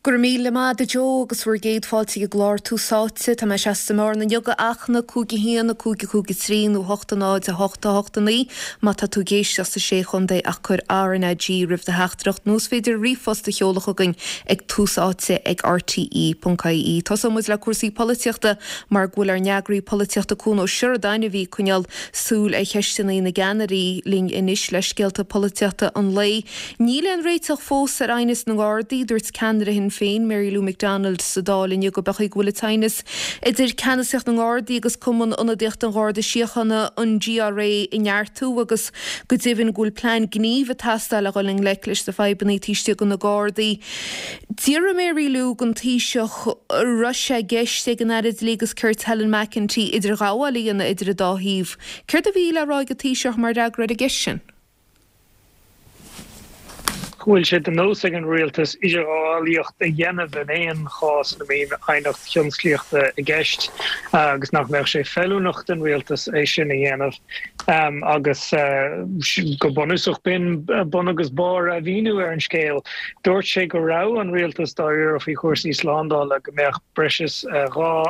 Go raibh míle maith agat a Joe agus bhur gcéad fáilte ag an gclár Tús Áite. Tá mé seasta i mBearna inniu do Fhachtna, 5 1, 5 5 3 nó 8 0 8 8 9 má tá tú ag éisteacht sa Sé Chontae ach cuir RnaG roimh do theachtaireacht nó is féidir ríomhphost a sheoladh chugainn ag túsáite ag rte.ie. Tosóidh muid le cúrsaí polaitíochta mar go bhfuil ár n-eagraí polaitíochta Cuan Ó Seireadáin a bhí ag coinneáil súil ar cheisteanna na gceannairí linn anois le scéalta polaitíochta an lae. Níl aon réiteach fós ar aighneas na nGardaí. Dúirt ceannaire Shinn Féin, Mary Lou McDonald, sa Dáil inniu go b'fhéidir go bhfuil an t-aighneas idir ceannasaíocht na nGardaí agus Cumann Ionadaíochta an Gharda Síochána, an GRA, ag neartú agus go deimhin go bhfuil plean gnímh ag teastáil le dhul i ngleic leis na fadhbanna taobh istigh de na Gardaí. D'fhiafraigh Mary Lou den Taoiseach an raibh sé i gceist ag an Aire Dlí agus Cirt Helen McEntee idirghabháil a dhéanamh idir an dá thaobh. Céard a bhí le rá ag an Taoiseach mar fhreagra ar an gceist sin? go bhfuil sé de nós ag an rialtas idirghabhálaíocht a dhéanamh in aon chás ina mbíonn aighneacht thionsclaíochta i gceist agus nach mbeadh sé feiliúnach don rialtas é sin a dhéanamh agus go bunúsach b'in bun agus barr a mhíniú ar an scéal. Dúirt sé go raibh an rialtas dáiríre faoi chúrsaí slándála, go mbeadh breis is 2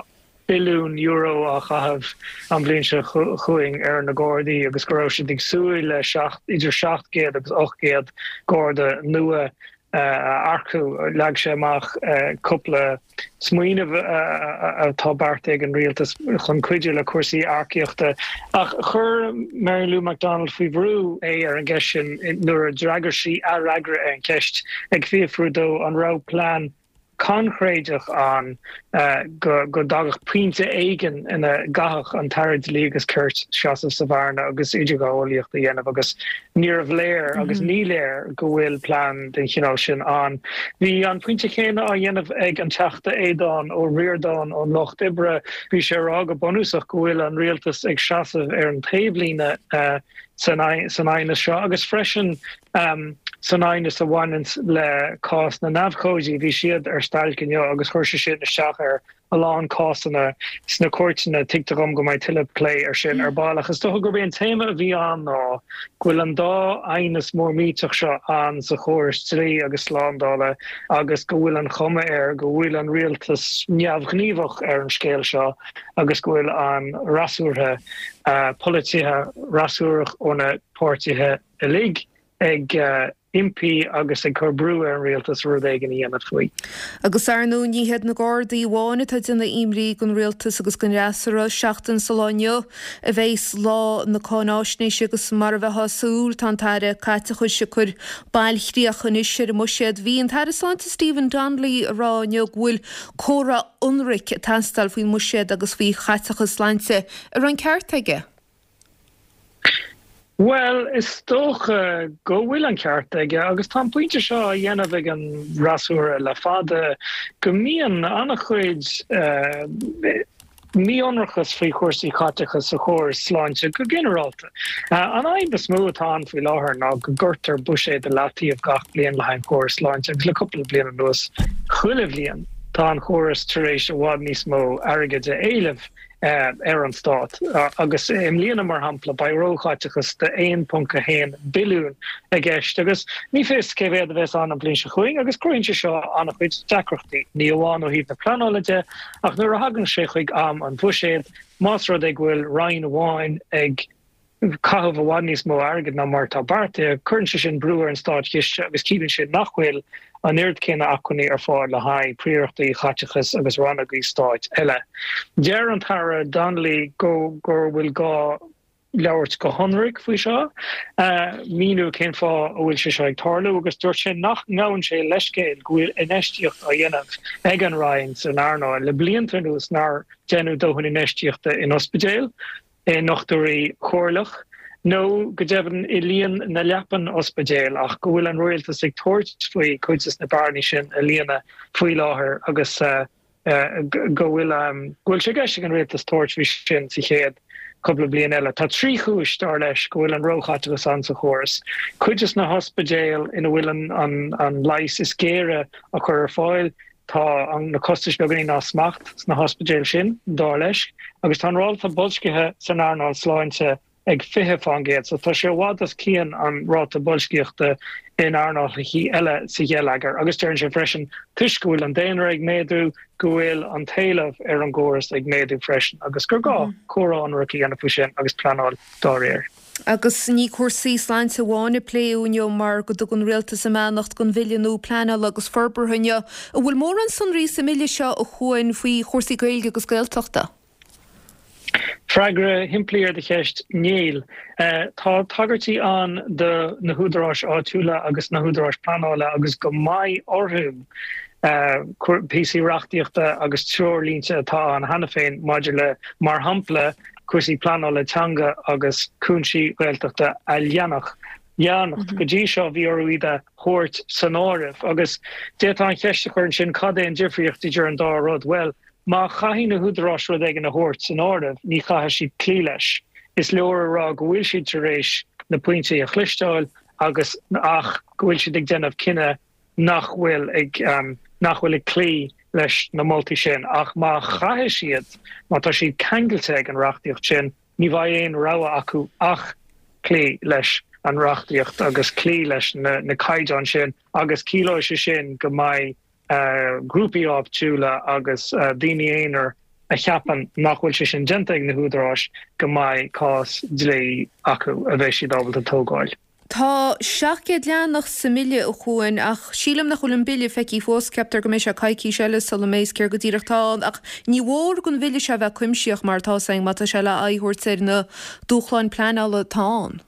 billiún euro á chaitheamh an bhliain seo chugainn ar na Gardaí agus go raibh siad ag súil le idir 700 agus 800 Garda nua a earcú. Leag sé amach cúpla smaoineamh atá beartaithe ag an rialtas chun cuidiú le cúrsaí earcaíochta. Ach chuir Mary Lou McDonald faoi bhrú é ar an gceist sin nuair a d'fhreagair sí a fhreagra ar an cheist ag fiafrú dó an raibh plean coincréideach ann go dtagadh pointe éigin ina gcaithfeadh an tAire Dlí agus Cirt seasamh sa bhearna agus idirghabhálaíocht a dhéanamh agus níorbh léir agus ní léir go bhfuil plean den chineál sin ann. Bhí an pointe céanna á dhéanamh ag an Teachta Aodhán Ó Ríordáin ón Lucht Oibre. Bhí sé ag rá go bunúsach go bhfuil an rialtas ag seasamh ar an taobhlíne san aighneas seo agus freisin San aighneas a bhaineanns le cás na n-abhcóidí, bhí siad ar stailc inniu agus chuir sé sin isteach ar a lán cásanna sna cúirteanna. Tuigtear dhom go mbeidh tuilleadh plé air sin ar ball ach is dócha gurb é an téama a bhí ann ná go bhfuil an dá aighneas mór millteach seo ann sa chóras dlí agus slándála agus go bhfuil an chuma air go bhfuil an rialtas neamhghníomhach ar an scéal seo agus go bhfuil an fhreasúra, polaitithe fhreasúrach ó na páirtithe uilig ag impí agus ag cur brú ar an rialtas rud éigin a dhéanamh faoi. Agus ar ndóigh ní hiad na Gardaí amháin atá ag déanamh imní don rialtas agus don fhreasúra. Seachtain sa lá inniu a bheas lá na cáináisnéise agus mar a bheifeá ag súil tá an tAire Caiteachais ag cur bailchríoch anois ar an mbuiséad. Bhí an tAire Sláinte Stephen Donnelly ag rá inniu go bhfuil comhrá ionraic ag teastáil faoin mbuiséad agus faoi chaiteachas sláinte. An raibh an ceart aige? Bhuel, is dócha go bhfuil an ceart aige, agus tá an pointe seo á dhéanamh ag an bhfreasúra le fada, go mbíonn an-chuid mí-ionracas faoi chúrsaí caiteachais sa chóras sláinte go ginearálta. An fhadhb is mó atá ann faoi láthair ná go gcuirtear buiséad i leataobh gach bliain le haghaidh an chórais sláinte, agus le cúpla bliain anuas, chuile bhliain, tá an córas tar éis i bhfad níos mó airgid a éileamh. ar an stát agus i mbliana, mar shampla, beidh róchaiteachas de 1.1 billiún i gceist agus ní fios cé mhéad a bheas ann an bhliain seo chugainn agus cruthaíonn sé seo an-chuid deacrachtaí, ní amháin ó thaobh na pleanála de ach nuair a thagann sé chuig am an bhuiséid, más rud é go bhfuil roinn amháin ag caitheamh i bhfad níos mó airgid ná mar atá beartaithe, cuireann sé sin brú ar an státchiste agus ciallaíonn sé nach bhfuil an oiread céanna acmhainní ar fáil le haghaidh príorachtaí chaiteachais agus rannógaí stáit eile. Deir an tAire Donnelly go go bhfuil gá labhairt go hionraic faoi seo, míniú cén fáth a bhfuil sé seo ag tarlú agus dúirt sé nach ngabhann sé leithscéal go bhfuil infheistíocht á dhéanamh ag an Roinn san earnáil le blianta anuas nár deineadh dóthain infheistíochta in ospidéil. i ndochtúirí comhairleach, nó go deimhin i líon na leapan ospidéil, ach go bhfuil an rialtas ag tabhairt faoi cuid de na bearnaí sin a líonadh faoi láthair agus go bhfuil go bhfuil sé i gceist ag an rialtas tabhairt faoi sin sa chéad cúpla bliain eile. Tá 3 chúis, dar leis, go bhfuil an róchaiteachas ann sa chóras. Cuid de na hospidéil ina bhfuil an an leigheas is géire á chur ar fáil, Tá na costais beagáinín as smacht sna hospidéil sin, dar leis, agus tá an ráta boilscithe san earnáil sláinte. ag 20%. So tá sé i bhfad os cionn an ráta boilscíochta in earnálacha eile sa gheilleagar. Agus deireann sé freisin, toisc go bhfuil an daonra ag méadú, go bhfuil an t-éileamh ar an gcóras ag méadú freisin agus gur gá comhrá ionraic a dhéanamh faoi sin agus pleanáil dá réir. Agus ní cúrsaí sláinte amháin a pléadh inniu mar go dtug an Rialtas a mbeannacht don Bhille nua Pleanála agus Forbartha inniu. An bhfuil mórán sonraí sa mBille seo a Chuain faoi chúrsaí Gaeilge agus Gaeltachta? Freagra shimplí ar do cheist, níl. Tá tagairtí ann do na húdaráis áitiúla agus na húdaráis pleanála agus go mbeidh orthu píosaí reachtaíochta agus treoirlínte atá ann cheana féin maidir le, mar shampla, cúrsaí pleanála teanga agus cúinsí Gaeltachta a leanacht. Go dtí seo bhí orthu iad a thabhairt san áireamh agus d'fhéadfá an cheist a chur ansin cad é an difríocht idir an dá rud? Bhuel, Má chaithfidh na húdaráis rud éigin a thabhairt san áireamh, ní chaithfidh siad cloí leis. Is leor a rá go bhfuil siad tar éis na pointí a chloisteáil agus ach go bhfuil siad ag déanamh cinneadh nach bhfuil ag nach bhfuil ag cloí leis na moltaí sin. Ach má chaithfidh siad, má tá siad ceangailte ag an reachtaíocht sin, ní bheidh aon rogha acu ach cloí leis an reachtaíocht agus cloí leis na caighdeáin sin agus ciallóidh sé sin go mbeidh grúpaí áitiúla agus daoine aonair a cheapann nach bhfuil sé sin déanta ag na húdaráis go mbeidh cás dlí acu a bheidh siad ábalta tógáil. Tá 700 leathanach sa mBille, a Chuain, ach sílim nach bhfuil an Bille feicthe fós. Ceaptar go mbeidh sé coicís eile sula mbeidh céard go díreach atá ann. Ach ní mhór don Bhille seo a bheith cuimsitheach mar atá 's againn má tá sé le aghaidh a thabhairt ar na dúshláin pleanála atá ann.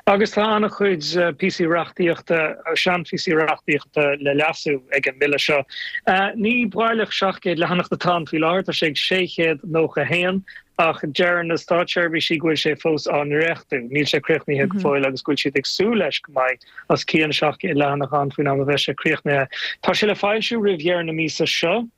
Agus tá an-chuid píosaí reachtaíochta, seanphíosaí reachtaíochta le leasú ag an mBille seo. Ní baileach 700 leathanach atá ann faoi láthair, tá sé ag 691, ach deir na státseirbhísí go bhfuil sé fós á ndréachtú, níl sé críochnaithe go fóill agus go bhfuil siad ag súil leis go mbeidh os cionn 700 leathanach ann faoin am a bheidh sé críochnaithe. Tá sé le foilsiú roimh dheireadh na míosa seo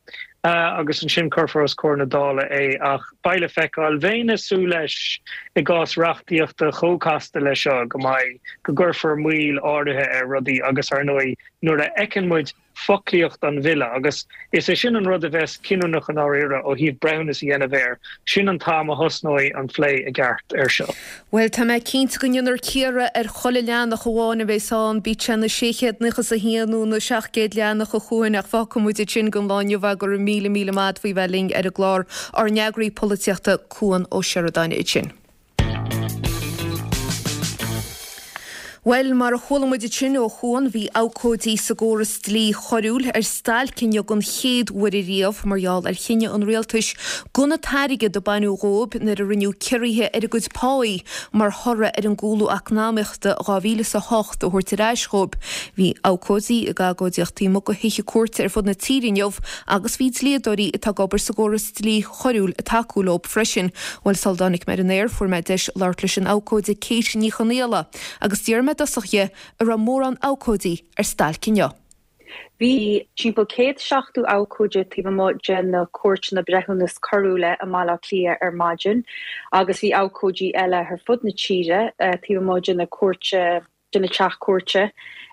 agus ansin cuirfear os comhair na Dála é ach beidh le feiceáil. Bheinn ag súil leis i gcás reachtaíochta chomh casta leis seo go mbeidh, go gcuirfear moill áirithe ar rudaí agus ar ndóigh nuair a fheiceann muid foclaíocht an bhille, agus is é sin an rud a bheas cinniúnach i ndáiríre ó thaobh breithiúnas a dhéanamh air, sin an t-am a thosnóidh an plé i gceart air seo. Bhuel, tá mé cinnte go ndéanfar cíoradh ar chuile leathanach amháin a bheas ann, bíodh sé na 691 nó na 700 leathanach a Chuain, ach fágfaidh muid ansin don lá inniu é. Go raibh míle míle maith agat faoi bheith linn ar an gclár, ár n-eagraí polaitíochta, Cuan Ó Seireadáin ansin. Bhuel, mar a chuala muid ansin ó Chuan, bhí abhcóidí sa gcóras dlí choiriúil ar stailc inniu den chéad uair ariamh mar gheall ar chinneadh an rialtais gan an t-airgead a baineadh dhóibh nuair a rinneadh ciorruithe ar a gcuid páí mar thoradh ar an gcúlú eacnamaíochta 2008 a thabhairt ar ais dhóibh. Bhí abhcóidí ag agóidíocht taobh amuigh de thithe cúirte ar fud na tíre inniu agus bhí dlíodóirí atá ag obair sa gcóras dlí choiriúil ag tacú leo freisin. Bhuel, sul a dtáinig mé ar an aer, fuair mé deis labhairt leis an abhcóide Kate Ní Chonaola agus d'iarr mé i dtosach dhi an raibh mórán abhcóidí ar stailc inniu. Bhí timpeall 170 abhcóide taobh amuigh de na cúirteanna breithiúnas coiriúla i mBaile Átha Cliath ar maidin agus bhí abhcóidí eile ar fud na tíre taobh amuigh de na cúirte de na teach cúirte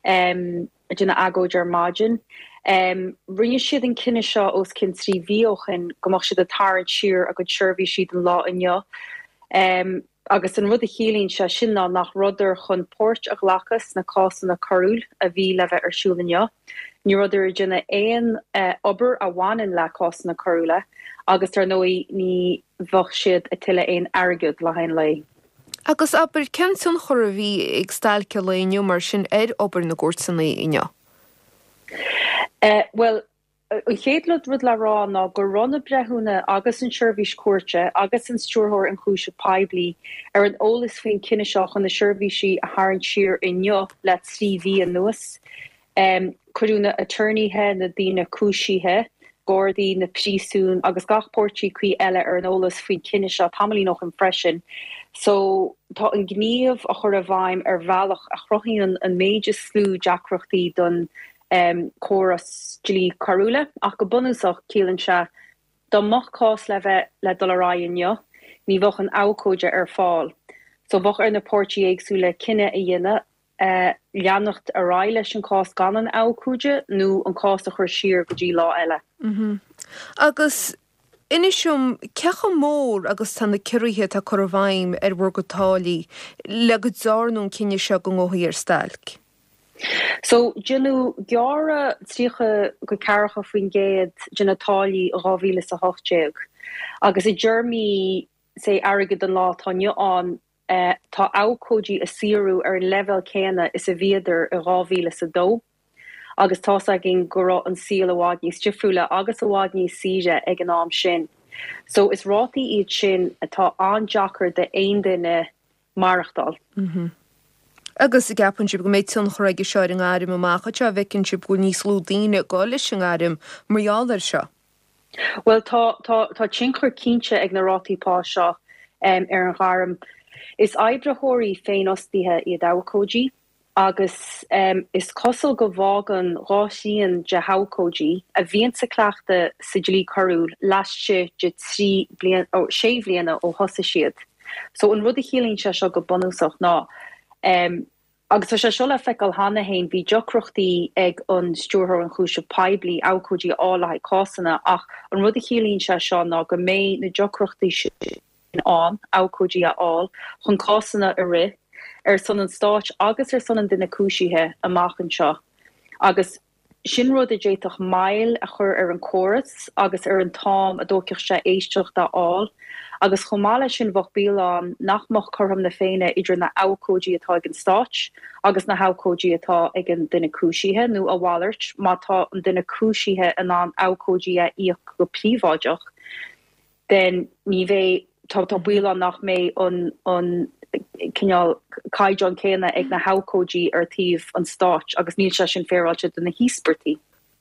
ag déanamh agóid ar maidin. Rinne siad an cinneadh seo os cionn 3 mhí ó shin go mbeadh siad ag tarraingt siar a gcuid seirbhísí don lá inniu agus an rud a chiallaíonn sé sin ná nach rabhadar chun páirt a ghlacadh sna cásanna coiriúil a bhí le bheith ar siúl inniu. Ní rabhadar ag déanamh aon obair a bhaineann le cásanna coiriúla agus dar ndóigh ní bheadh siad ag tuilleadh aon airgead le haghaidh an lae. Agus abair, cén tionchar a bhí ag stailc an lae inniu mar sin ar obair na gcúirteanna inniu? Bhuel, an chéad rud le rá ná go raibh na breithiúna agus an tSeirbhís Chúirte agus an Stiúrthóir Ionchúiseamh Poiblí ar an eolas faoin cinneadh seo chun na seirbhísí a tharraingt siar inniu le 3 mhí anuas. Cuireadh na aturnaetha, na daoine cúisithe, Gardaí, na príosúin agus gach páirtí cuí eile ar an eolas faoin cinneadh seo tamaillín ó shin freisin. So tá an gníomh á chur i bhfeidhm ar bhealach a chruthaíonn an méid is lú deacrachtaí don córas dlí coiriúla ach go bunúsach ciallaíonn sé dá mbeadh cás le bheith le dul ar aghaidh inniu ní bheadh an abhcóide ar fáil. So bheadh ar na páirtí éagsúla cinneadh a dhéanamh leanacht ar aghaidh leis an cás gan an abhcóide nó an cás a chur siar go dtí lá eile. Agus. Inis dom, cé chomh mór agus tá na ciorruithe atá curtha i bhfeidhm ar bhur gcuid táillí le go dtearnadh an cinneadh seo go ngabhfaí ar stailc? So, deineadh gearradh 30-40% de na táillí i 2018 agus i dtéarmaí, say, airgead an lá atá inniu ann, tá abhcóidí a saothrú ar an leibhéal céanna is a bhíodar i 2002 agus tá's againn go raibh an saol i bhfad níos difriúla agus i bhfad níos saoire ag an am sin. So, is rátaí iad sin atá an-deacair d'aon duine maireachtáil. Agus an gceapann sibh go mbeidh tionchar aige seo ar an ngairm amach anseo, an bhfeiceann sibh go bhfuil níos lú daoine ag dul leis an ngairm mar gheall air seo? Bhuel, tá, tá, tá tionchar cinnte ag na rátaí pá seo ar an ghairm. Is oibritheoirí féinfhostaithe iad abhcóidí agus is cosúil go bhfágann 2 thrian de abhcóidí a bhíonn sa cleachtadh sa dlí coiriúil laistigh de 3 bliana, ó, 6 bhliana ó thosaigh siad. So an rud a chiallaíonn sé seo go bunúsach ná, agus tá sé seo le feiceáil cheana féin, bhí deacrachtaí ag an Stiúrthóir Ionchúiseamh Poiblí abhcóidí a fháil le haghaidh cásanna ach an rud a chiallaíonn sé seo ná go mbeidh na deacrachtaí sin ann abhcóidí a fháil chun cásanna a rith ar son an stáit agus ar son an duine cúisithe amach anseo agus Sin rud a d'fhéadfadh moill a chur ar an córas agus ar an t-am a dtógfadh sé éisteacht a fháil. Agus chomh maith leis sin bheadh baol ann nach mbeadh cothrom na Féinne idir na abhcóidí atá ag an Stáit agus na habhcóidí atá ag an duine cúisithe, nó a mhalairt, má tá an duine cúisithe in ann abhcóidí a íoc go príobháideach. then ní bheidh, tá, tá baol ann nach mbeidh an, an cineál caighdeán céanna ag na habhcóidí ar taobh an stáit agus níl sé sin féaráilte do na híospartaigh.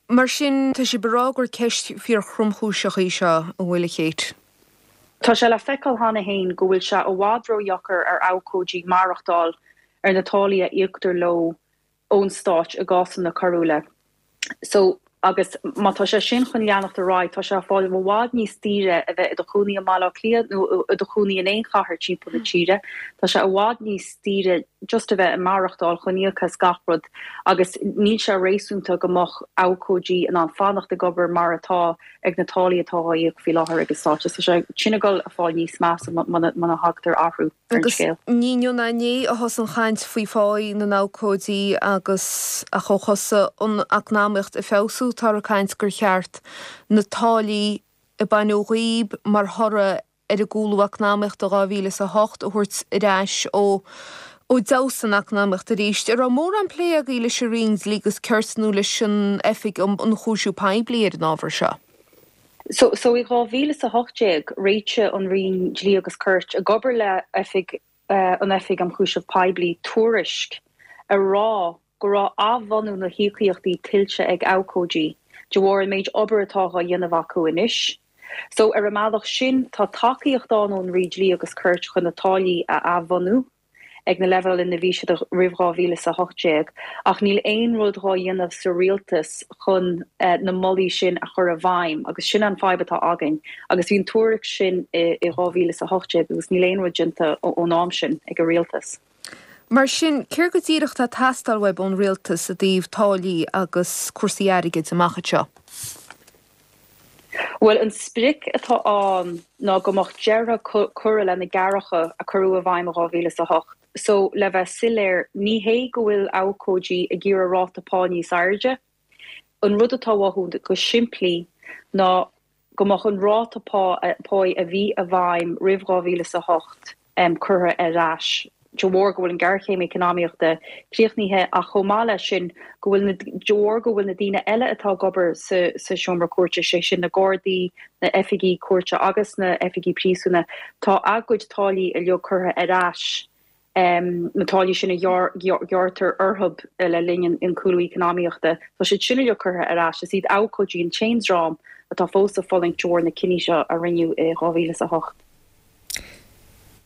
Mar sin, tá sibh ag rá gur ceist fíor-thromchúiseach í seo, an bhfuil, a Kate? Tá sé le feiceáil cheana féin go bhfuil sé i bhfad ródheacair ar abhcóidí maireachtáil ar na táillí a íoctar leo ón Stáit i gcásanna coiriúla. So, agus má tá sé sin chun leanacht ar aghaidh, tá sé ag fáil i bhfad níos daoire a bheith i do chónaí i mBaile Átha Cliath nó i do chónaí in aon chathair timpeall na tíre. Tá sé i bhfad níos daoire just a bheith ag maireachtáil chun íoc as gach rud agus níl sé réasúnta go mbeadh abhcóidí in ann fanacht ag obair mar atá ag na táillí atá á íoc faoi láthair ag an Stát. Tá sé sin ag dul a fáil níos measa muna thagtar athrú. ar an Agus scéal. ní inniu ná inné a thosaigh an chaint faoi pháí na n-abhcóidí agus ach ó thosaigh an eacnamaíocht ag feabhsú táthar ag caint gur cheart na táillí a baineadh dhíob mar thoradh ar an gcúlú eacnamaíochta 2008 a thabhairt ar ais ó ó d'fheabhsaigh an eacnamaíocht arís. An raibh mórán plé agaibh leis an Roinn Dlí agus Cirt nó leis an Oifig um Ionchúisiú Poiblí ar an ábhar seo? So, so i 2018, réitigh an Roinn Dlí agus Cirt, ag obair le Oifig, an Oifig um Chúiseamh Poiblí, tuairisc a rá go raibh athbhunú na híocaíochtaí tuillte ag abhcóidí de bharr an méid obair atá dhá dhéanamh acu anois. So, ar an mbealach sin, tá tacaíocht ann ón Roinn Dlí agus Cirt chun na táillí a athbhunú. ag na leibhéil ina bhí siad roimh 2018, ach níl aon rud dhá dhéanamh sa rialtas chun na moltaí sin a chur i bhfeidhm agus sin an fadhb atá againn agus bhí an tuairisc sin i 2018 agus níl aon rud déanta ón am sin ag an rialtas. Mar sin, céard go díreach atá ag teastáil uaibh ón rialtas i dtaobh táillí agus cúrsaí airgid amach anseo? Bhuel, an sprioc atá ann ná go mbeadh deireadh curtha le na gearracha a cuireadh i bhfeidhm i 2008. So, le bheith soiléir, ní hé go bhfuil abhcóidí ag iarraidh ráta pá níos airde. An rud atá uathu go simplí ná go mbeadh an ráta pá páí a bhí i bhfeidhm roimh 2008 curtha ar ais de bharr go bhfuil an ghéarchéim eacnamaíochta críochnaithe ach chomh maith leis sin go bhfuil na de bharr go bhfuil na daoine eile atá ag obair sa sa seomra cúirte, sé sin na Gardaí, na oifigigh cúirte agus na oifigigh príosúna, tá a gcuid táillí uilig curtha ar ais, na táillí sin a ghearrtar orthu le linn an cúlú eacnamaíochta, tá siad sin uilig curtha ar ais. Is iad abhcóidí an t-aon dream atá fós ag fulaingt de bharr na cinní seo a rinneadh i 2008.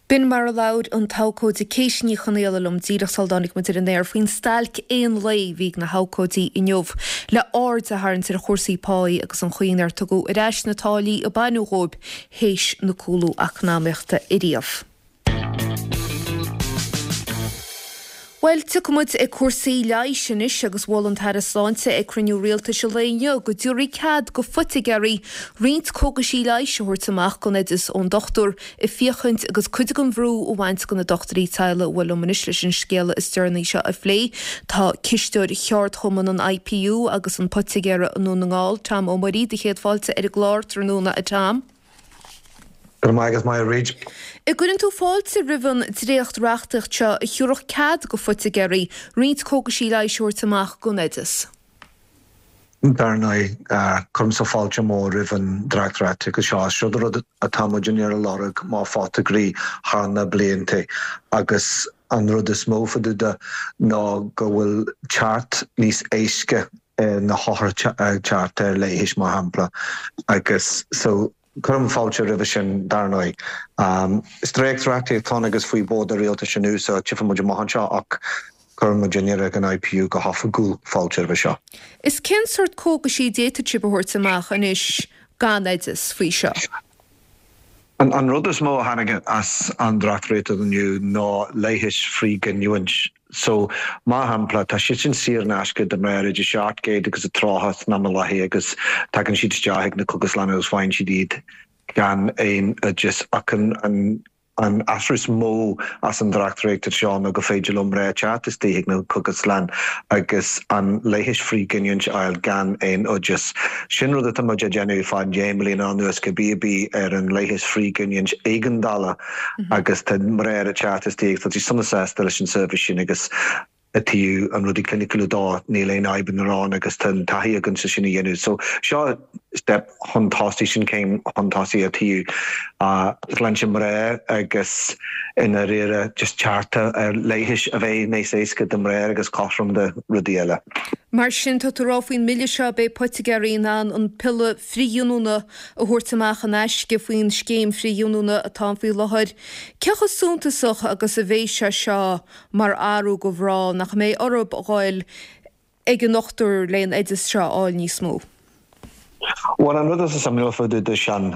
B'in mar a labhair an t-abhcóide Kate Ní Chonaola liom díreach sula dtáinig muid ar an aer faoin stailc aon lae a bhí ag na habhcóidí inniu le aird a tharraingt ar chúrsaí páí agus an chaoi nár tugadh ar ais na táillí a baineadh dhóibh théis na cúlú eacnamaíochta ariamh. Bhuel, tiocfaidh muid ag cúrsaí leighis anois agus mhol an tAire Sláinte ag cruinniú rialtais an lae inniu go dtabharfaí cead go phoitigéirí roinnt cógaisí leighis a thabhairt amach gan oideas ón dochtúir ag féachaint agus cuid den bhrú a bhaint de na dochtúirí teaghlaigh. Bhuel, liom anois leis an scéala is deireanaí seo a phlé tá cisteoir cheardchumann an IPU agus an poitigéara i nDún na nGall, Tom Ó Muirí. Do chéad fáilte ar an gclár tráthnóna, a Tom. Go raibh maith agat, Máire Bhríd. An gcuireann tú fáilte roimh an dréacht-reachtaíocht seo a thiúrfadh cead go phoitigéirí roinnt cógaisí leighis a thabhairt amach gan oideas? Dar ndóigh, cuirimse fáilte mór roimh an dréacht-reachtaíocht seo. Seo rud atá muid ag lorg mar photagairí thar na blianta agus an rud is mó fá dtaobh de ná go bhfuil teacht níos éasca ar na hothair teacht ar leighis mar shampla agus so cuirim fáilte roimhe sin dar ndóigh. Is dréacht-reachtaíocht atá ann agus faoi bhord an rialtais inniu so tchífidh muid amach anseo ach cuireann muidinne ag an IPU go hoifigiúil fáilte roimhe seo. Is cén sórt cógaisí a d'fhéadfadh sibh a thabhairt amach anois gan oideas faoi seo? An rud is mó a tháinig as an dréacht-reachtaíocht inniu ná leighis frithghiniúint. So, mar shampla, tá siad sin saor in aisce do mná idir 700 agus 30 san am i láthair agus tagann siad isteach ag na cógaslanna agus faigheann siad iad gan aon oideas ach an An athrú is mó as an dréacht-reachtaíocht seo ná go féidir leo mná teacht istigh ag na cógaslann agus an leighis frithghiniúint a fháil gan aon oideas. Sin rud atá muid ag déanamh fá dheich mbliana anuas cibé ar bith ar an leigheas frithghiniúint éigeandála agus tá mná ag teacht istigh agus tá siad sona sásta leis an seirbhís sin agus i dtaobh an rudaí cliniciúla dó, níl aon fhadhbanna ann agus tá an taithí againn sin a dhéanamh. So seo step chun tosaigh, sin céim chun tosaigh i dtaobh sláinte mná agus i ndáiríre just teacht ar leighis a bheidh níos éasca do mná agus cothrom do rudaí eile. Mar sin, tá tú ag rá faoin mbille seo, beidh poitigéirí in ann an piolla frithghiniúna a thabhairt amach in aisce faoin scéim frithghiniúna atá ann faoi láthair. Cé chomh suntasach agus a bheidh sé seo mar athrú go mhná nach mbeidh orthu a ghoil ag an ndochtúir le an oideas seo a fháil níos mó. Bhuel, an rud is suimiúil fá dtaobh de sin,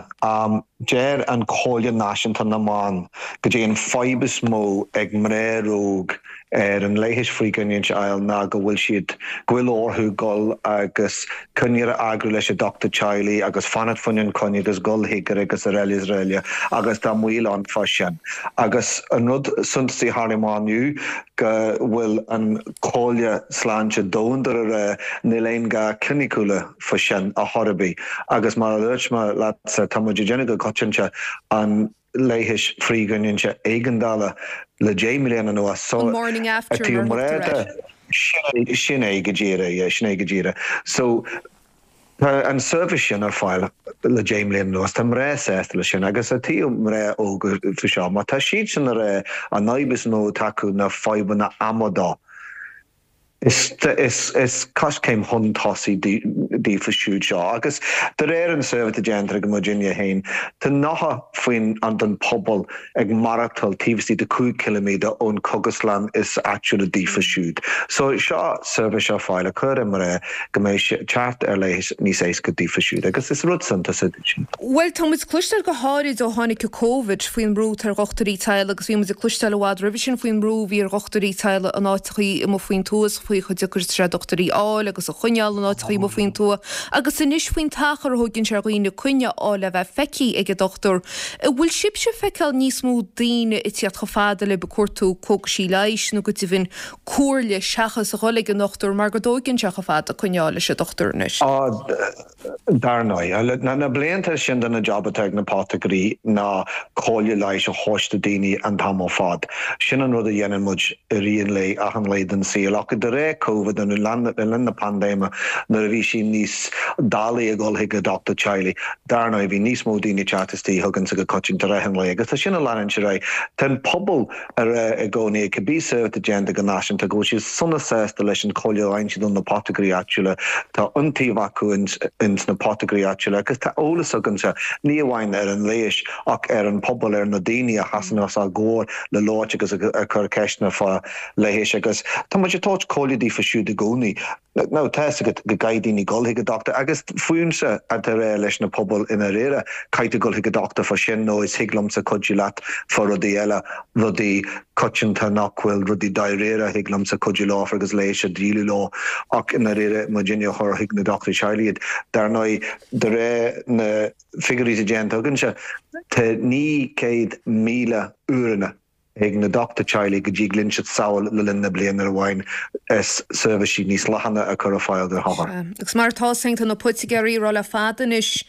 deir an Comhairle Náisiúnta na mBan go dté an fadhb is mó ag mná óg ar an leigheas frithghiniúint a fháil ná go bhfuil siad, go bhfuil orthu dul agus coinne a eagrú leis an dochtúir teaghlaigh agus fanacht fá choinne an coinne agus dul chuige agus araile is araile agus tá moill ann fá sin. Agus an rud suntasaí a tharla amach inniu go bhfuil an Chomhairle Sláinte Domhanda a rá níl aon gá cliniciúla fá sin a chor ar bith agus mar a dúirt mé leatsa tá muid ag déanamh go coitianta an leighis frithghiniúinte éigeandála le 10 mbliana anuas so An morning after mar a thugtar air. Sin é go díreach, yeah, sin é go díreach. So tá an seirbhís sin ar fáil le 10 mbliana anuas, tá mná sásta leis sin agus i dtaobh mná óga faoi seo, má tá siad sin ag rá an fhadhb is mó atá acu ná fadhbanna ama dó. Is coiscéim chun tosaigh daofa siúd seo agus de réir an suirbhé atá déanta ag muidinne féin, tá 90 faoin den pobal ag maireachtáil taobh istigh de 5 ciliméadar ón cógaslann is áitiúla daofa siúd. So seo seirbhís ar fáil a chur ar mná go mbeidh teacht ar leigheas níos éasca daofa siúd agus is rud suntasach é sin. Bhuel, tá muid ag cloisteáil go háirid ó tháinig an Covid faoin mbrú atá ar dhochtúirí teaghlaigh agus bhí muid ag cloisteáil i bhfad roimhe sin faoin mbrú a bhí ar dhochtúirí teaghlaigh in áiteachaí amuigh faoin tuath, faoi chomh deacair is atá sé dochtúirí a fháil agus a choinneáil in áiteachaí amuigh faoin tuath, agus anois faoin t-achar a thóigeann sé ar dhaoine coinne a fháil le bheith feicthe ag an dochtúir. An bhfuil sibhse ag feiceáil níos mó daoine ag tíocht chomh fada libh ag cuartú cógaisí leighis nó go deimhin comhairle seachas a dhul ag an ndochtúir mar go dtóigeann sé chomh fada coinne a fháil leis an dochtúir anois? Dar ndóigh, na blianta sin de na jab atá ag na potagairí ná comhairle leighis a thabhairt do daoine an t-am ar fad. Sin an rud a dhéanann muid i rith an lae, achan lae den saol. Ach de réir Covid nó le linn na paindéime nuair a bhí sé níos doiligh a dhul chuig an dochtúir teaghlaigh, dar ndóigh bhí níos mó daoine ag teacht istigh chugainnse go coitianta i rith an lae agus tá sin ag leanúint ar aghaidh. Tá an pobal ag rá i gcónaí, cibé suirbhé atá déanta go náisiúnta, go bhfuil siad sona sásta leis an chomhairle a fhaigheann siad ó na potagairí áitiúla. Tá iontaoibh acu ins na potagairí áitiúla agus tá eolas againnse, ní amháin ar an leigheas ach ar an pobal, ar na daoine a sheasann os ár gcomhair le labhairt agus ag cur ceisteanna fá leigheas agus tá muid ag tabhairt comhairle. comhairle daofa siúd i gcónaí. Now, tá fhios agat go gcaithfidh daoine dul chuig an dochtúir agus fúmsa atá a rá leis na pobail i ndáiríre, caithfidh tú dul chuig an dochtúir fá sin nó is thig liomsa cuidiú leat fá rudaí eile, rudaí coitianta nach bhfuil rudaí dáiríre, thig liomsa cuidiú leo agus leigheas a dhíolú leo ach i ndáiríre muidinne a chur chuig na dochtúirí teaghlaigh iad. Dar ndóigh, de réir na figiúirí atá déanta againnse, tá 900,000 uaireanna ag na dochtúirí teaghlaigh go dtig linn siad samhail le linn na bliana ar amháin is seirbhísí níos leathana a chur ar fáil do othair. Agus mar atá 's againn tá na poitigéirí ag rá le fada anois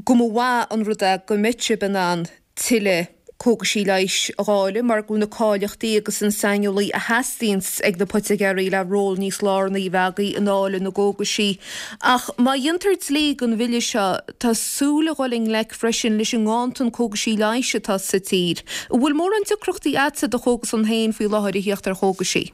go mba mhaith an rud é go mbeadh sibh in ann tuilleadh cógaisí leighis a dháileadh mar go bhfuil na cáilíochtaí agus an saineolaí a theastaíonns ag na poitigéirí le ról níos lárnaí a bheith agaibh i ndáileadh na gcógaisí. Ach má dhéantar dlí den bhille seo tá súil a dhul i ngleic freisin leis an nganntan cógaisí leighis atá sa tír. An bhfuil mórán deacrachtaí agatsa i do chógaslann féin faoi láthair a thíocht ar chógaisí?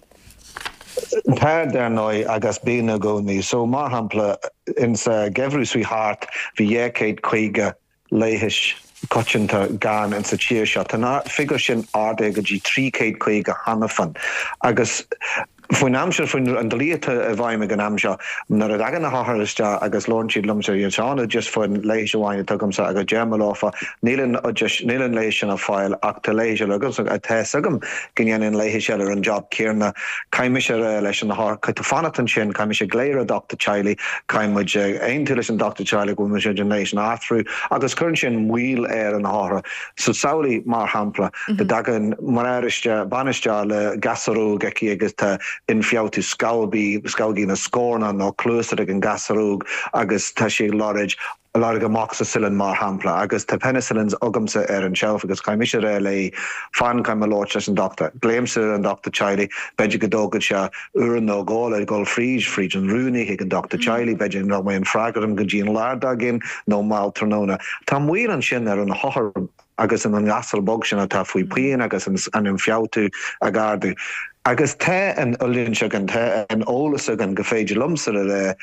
Tá, dar ndóigh, agus bíonn i gcónaí. So, mar shampla, insa gheimhreadh seo thart, bhí 250 leigheas coitianta gann insa tír seo. Tá an figiúr sin ardaithe go dtí 350 cheana féin. Agus Faoin am seo, faoin an dlí atá i bhfeidhm ag an am seo, nuair a thagann na hothair isteach agus labhrann siad liomsa, iad seo an oideas faoin leigheas amháin atá agamsa agus deirim leofa, níl an oideas, níl an leigheas sin ar fáil ach tá leigheas eile agamsa, tá fhios agam go ndéanann an leigheas eile an job céanna. Caithfidh mise a rá leis an othar, caithfidh tú fanacht ansin, caithfidh mise glaoch ar an dochtúir teaghlaigh, caithfidh muid aontú leis an dochtúir teaghlaigh go bhfuil muid an leigheas sin a athrú agus cuireann sin moill ar an othar. So samhlaigh, mar shampla, go dtagann mná isteach, bean isteach le gasúr óg aici agus tá ionfhabhtú scamhógaí, scamhógaí na scornach nó cluasa ag an gasúr óg agus tá sí ag lorg, lorg amoxicillin mar shampla agus tá penicillins agamsa ar an shelf agus caithfidh mise a rá léi, fan, caithfidh mé labhairt leis an dochtúir. Glaoimse ar an dochtúir teaghlaigh, b'fhéidir go dtógann sé uair nó dhó le dhul fríd, fríd an rúnaí chuig an dochtúir teaghlaigh, b'fhéidir nach mbeidh an freagra agam go dtí an lá dár gcionn nó mall tráthnóna. Tá moill ansin ar an othar agus an gasúr beag sin atá faoi pian agus an ionfhabhtú ag ardú. Agus tá an oiliúint againn, tá an eolas againn go féidir liomsa a rá,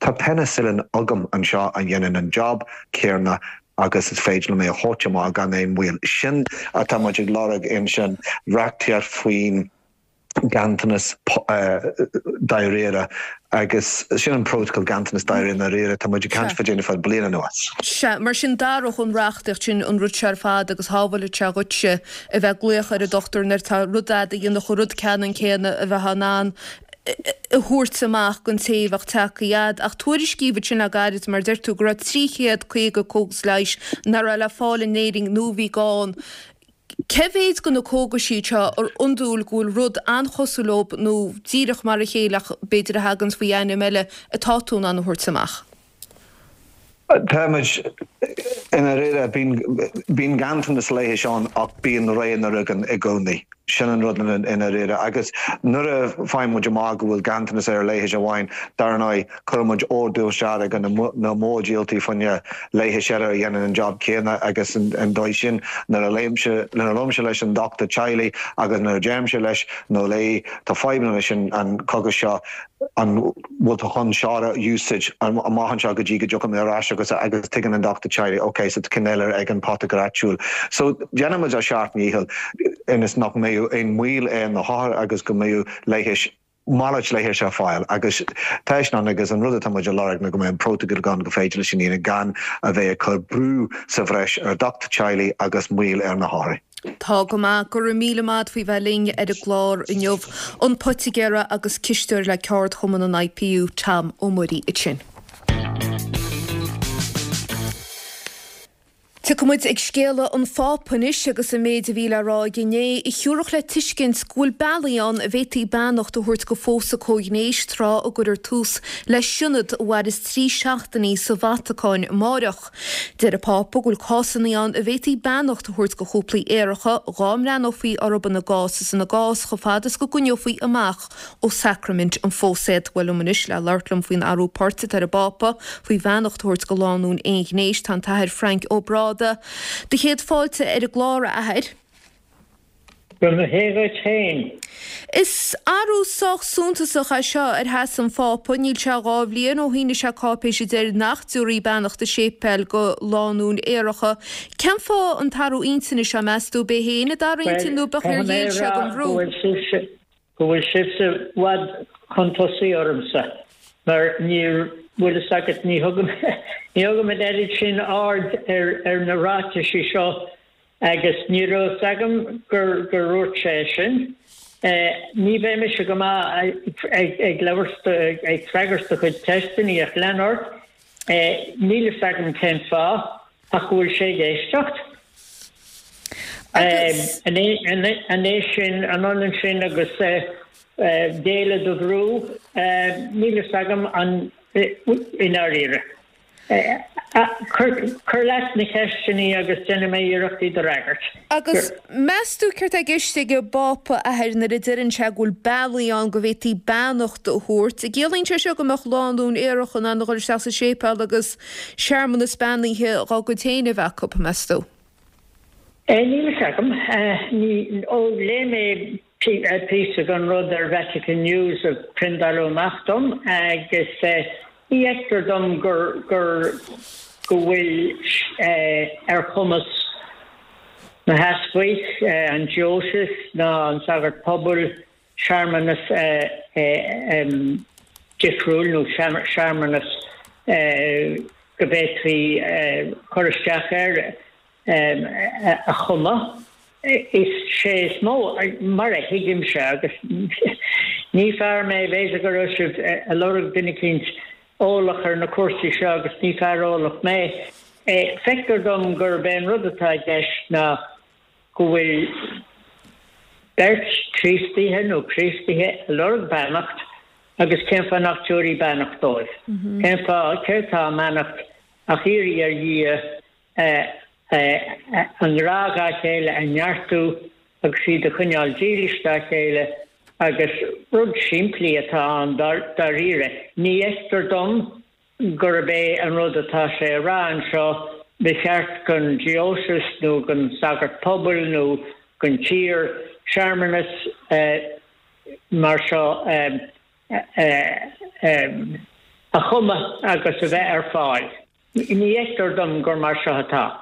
Tá penicillin agam anseo a dhéanann an job céanna agus is féidir liom é a thabhairt amach gan aon mhoill. Sin atá muid ag lorg ansin, reachtaíocht faoin ganntanas dáiríre agus sin an prótacal ganntanas dáiríre ndáiríre tá muid ag caint fá déanamh fad bliain anuas. Sea, mar sin d'athródh an reachtaíocht sin an rud seo ar fad agus shábhálfadh sé dhuitse a bheith ag glaoch ar an dochtúir nuair atá rud a'd a dhéanfadh an rud ceannann céanna a bheith in ann a thabhairt amach don té a bheadh tagtha a'd. Ach tuairiscíodh ansin le gairid mar a deir tú go raibh 350 cógas leighis nach raibh le fáil in Éirinn nó a bhí gann. Cé mhéid de na cógaisí seo ar iondúil go bhfuil rud an-chosúil leo nó díreach mar a chéile ach b'fhéidir a thaganns faoi ainm eile atá tú in ann a thabhairt amach? Tá muid, i ndáiríre, bíonn, bíonn ganntanas leighis ann ach bíonn roghanna againn i gcónaí. Sin an rud i ndáiríre. Agus nuair a faigheann muid amach go bhfuil ganntanas ar leigheas amháin, dar ndóigh, Cuireann muid ordú isteach ag na mórdhíoltóirí fá choinne leigheas eile a dhéanann an job céanna agus an dóigh sin nuair a léimse, nuair a labhraímse leis an dochtúir teaghlaigh agus nuair a deirimse leis nó léi tá fadhbanna leis an cógas seo, an bhfuil tú chun seo a úsáid amach anseo go dtí go dtiocfaidh mé ar ais agus agus tuigeann an dochtúir teaghlaigh ok so tá ceann eile ag an poitigéir áitiúil. So déanann muid ár seacht ndícheall ionas nach mbeadh aon mhoill ar na hothair agus go mbeadh leighis malairt leighis ar fáil agus tá sin ann agus an rud atá muid a lorg ná go mbeidh an prótacal ann go féidir leis sin a dhéanamh gan a bheith ag cur brú sa bhreis ar dhochtúir teaghlaigh agus moill ar na hothair. Tá go maith. Go raibh míle maith a't faoi bheith linn ar an gclár inniu. An poitigéara agus cisteoir le ceardchumann an IPU, Tom Ó Muirí ansin. Tiocfaidh muid ag scéala an Phápa anois agus an méid a bhí le rá aige inné, a thiúrfadh le tuiscint go bhfuil bealaí ann a bhféadfaí beannacht a thabhairt go phósadh comhghnéis tráth a gcuirfear tús le sionad a mhairfeas 3 seachtainí sa Vatacáin amáireach. Deir an Pápa go bhfuil cásanna ann a bhféadfaí beannacht a thabhairt go chúplaí aeracha dhá mbreathnófaí orthu ina gcás is ina gcás chomh fada is go gcoinneofaí amach ó sacraimint an phósadh. Bhuel liom anois le labhairt liom faoin athrú poirt atá ar an bPápa faoi bheannacht a thabhairt go lánúin aonghnéis tá an tAthair Frainc Ó Bráda. Do chéad fáilte ar an gclár, a Athair. Go mba hé dhuit féin. Is athrú sách suntasach é seo ar sheasamh an Phápa. Níl sé 2 bhliain ó shínigh sé cáipéis a deir nach dtabharfaí beannacht i séipéil go lánúin aeracha. Cén fáth an t-athrú intinne seo, meas tú? B'é féin a d'athraigh intinn nó b'fhéidir ar ghéill sé don bhrú? go bhfuil sibhse i bhfad chun tosaigh ormsa, mar níor, bhfuil fhios agat, ní thugaim, ní thugaim an oiread sin aird ar, ar na ráitisí seo agus ní raibh fhios agam gur, gur dhúirt sé é sin. Ní bheidh mise go maith ag, ag labhairt, ag freagairt do chuid ceisteanna ach lean ort. Níl fhios agam cén fáth ach go bhfuil sé ag éisteacht. Agus. An é sin, an ionann sin agus géilleadh do bhrú? Níl fhios agam an i ndáiríre. Cuir leat na ceisteanna agus déanfaidh mé iarracht iad a fhreagairt. Agus meas tú céard tá i gceist ag an bPápa, a Athair, nuair a deireann sé go bhfuil bealaí ann go bhféadfaí beannacht a thabhairt? An gciallaíonn sé seo go mbeadh lánúin aerach in ann a dhul isteach sa séipéal agus searmanas beannaithe dhá gcuid féin a bheith acu, meas tú? Níl fhios agam. Ó, léigh mé píosa den rud ar Vatican News a priondáladh amach dom agus ní fheictear dom gur gur go bhfuil ar chumas na heaspaig, an diocese ná an sagart pobail searmanas difriúil nó searmanas go bhféadfaí cur isteach air a chumadh. Is é is mó, mar a thuigimse, agus ní fear mé, b'fhéidir go raibh sibh ag lorg duine eicínt eolach ar na cúrsaí seo agus ní fear eolach mé, feictear dom gurb é an rud atá i gceist ná go bhfuil beirt Chríostaithe nó Críostaithe ag lorg beannacht agus cén fáth nach dtabharfaí beannacht dóibh? Cén fáth, céard atá i mbeannacht ach iarraidh ar Dhia a ngrá dhá chéile a neartú agus iad a choinneáil dílis dá chéile agus rud simplí atá ann dáiríre. Ní fheictear dom gurb é an rud atá sé a rá anseo, ba cheart don diocese nó don sagart pobail nó don tír searmanas mar seo a chumadh agus a bheith ar fáil. Ní fheictear dom gur mar seo atá,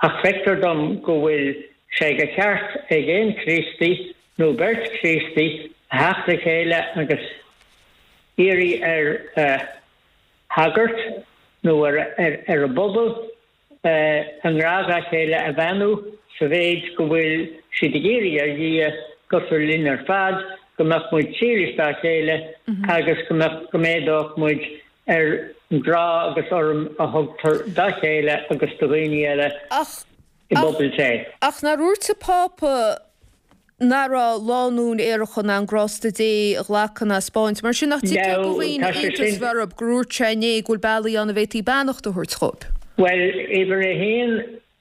ach feictear dom go bhfuil sé de cheart ag aon Chríostaí nó beirt Chríostaí a theacht le chéile agus iarraidh ar shagart nó ar an bpobal a ngrá dá chéile a bheannú sa mhéid go bhfuil siad ag iarraidh ar Dhia cosúil linn ar fad, go mbeadh muid dílis dá chéile agus go mbeadh, go méadódh muid ar an ngrá agus urraim a thugtar dá chéile agus do dhaoine eile i bpobal Dé. Ach nár dhúirt an Pápa nach raibh lánúin aeracha in ann grásta Dé a ghlacadh ná a 'spáint. Mar sin, nach dtuigtear do dhaoine iontas a bheith orthu gur dhúirt sé inné go bhfuil bealaí ann a bhféadfaí beannacht a thabhairt dhóibh? Bhuel, uimhir a haon,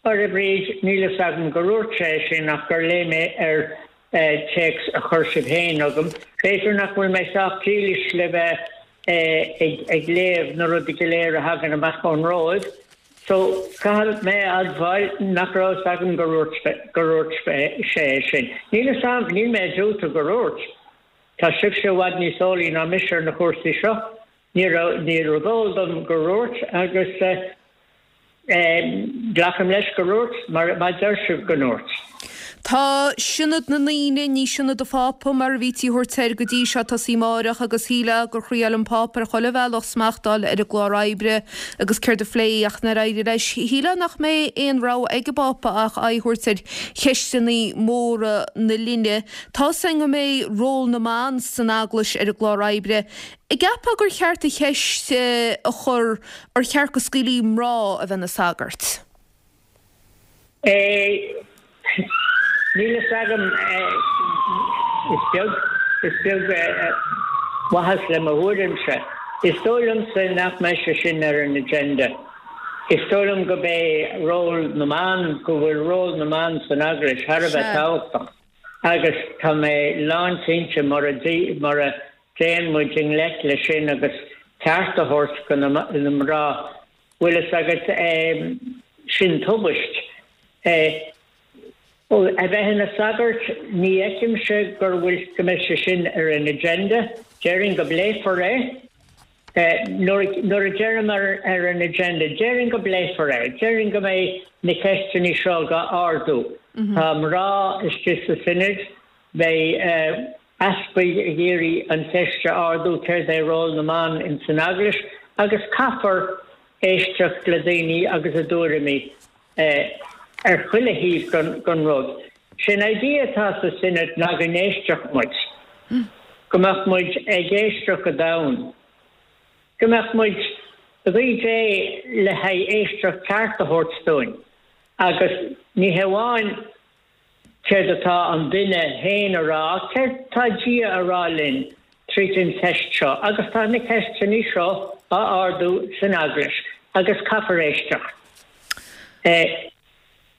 a Bhríd, níl fhios agam gur dhúirt sé é sin ach gur léigh mé ar téacs a chuir sibh féin chugam. B'fhéidir nach bhfuil mé sách dílis le bheith ag léamh na rudaí go léir a thagann amach ón Róimh. So, caithfidh mé a admháil nach raibh fhios agam gur dhúirt gur dhúirt sé é sin. Níl fhios a'm, níl mé ag diúltú gur dhúirt. Tá sibhse i bhfad níos eolaí ná mise ar na cúrsaí seo. Ní raibh, níorbh eol dom gur dhúirt agus Glacaim leis gur dhúirt, mar má deir sibh go ndúirt. Tá Sionad na nDaoine, ní Sionad an Phápa mar a bhítí a thabhairt air go dtí seo, ag tosaí amáireach agus shílfeá gur thriáil an Pápa ar chuile bhealach smacht a fháil ar an gclár oibre agus céard a phléifí ach nár éirigh leis. Shílfeá nach mbeidh aon rogha ag an bPápa ach aghaidh a thabhairt ar cheisteanna móra na linne. Tá's againn go mbeidh ról na mban san Eaglais ar an gclár oibre. An gceapfá gur cheart an cheist a chur ar cheart go scaoilfí mná a bheith ina sagairt? Níl fhios agam. Is beag, is beag maitheas le mo thuairimse. Is dóigh liomsa nach mbeidh sé sin ar an agenda. Is dóigh liom go mbeidh ról na mban, go bhfuil ról na mban san Eaglais thar a bheith tábhachtach agus tá mé lánchinnte mura, mura dtéann muid i ngleic leis sin agus ceart a thabhairt do na mná, bhfuil fhios agat, sin tubaist. A bheith ina sagart, ní fheicimse gur bhfuil, go mbeidh sé sin ar an agenda. Déarfainn go bpléifear é. Nuair a deirim ar an agenda, déarfainn go bpléifear é. Déarfainn go mbeidh na ceisteanna seo á ardú. Tá mná istigh sa Sionad, beidh. Easpaig ag iarraidh an cheist a ardú céard é ról na mban ins an Eaglais agus caithfear éisteacht le daoine agus a dtuairimí ar chuile thaobh den rud. Sé'n idea atá sa Synod ná go n-éistfeadh muid, go mbeadh muid ag éisteacht go domhain, go mbeadh muid ag guí Dé le haghaidh éisteacht ceart a thabhairt dúinn agus ní hamháin céard atá an duine féin a rá, céard tá Dia a rá linn tríd an cheist seo agus tá na ceisteanna seo á ardú san Eaglais agus caithfear éisteacht.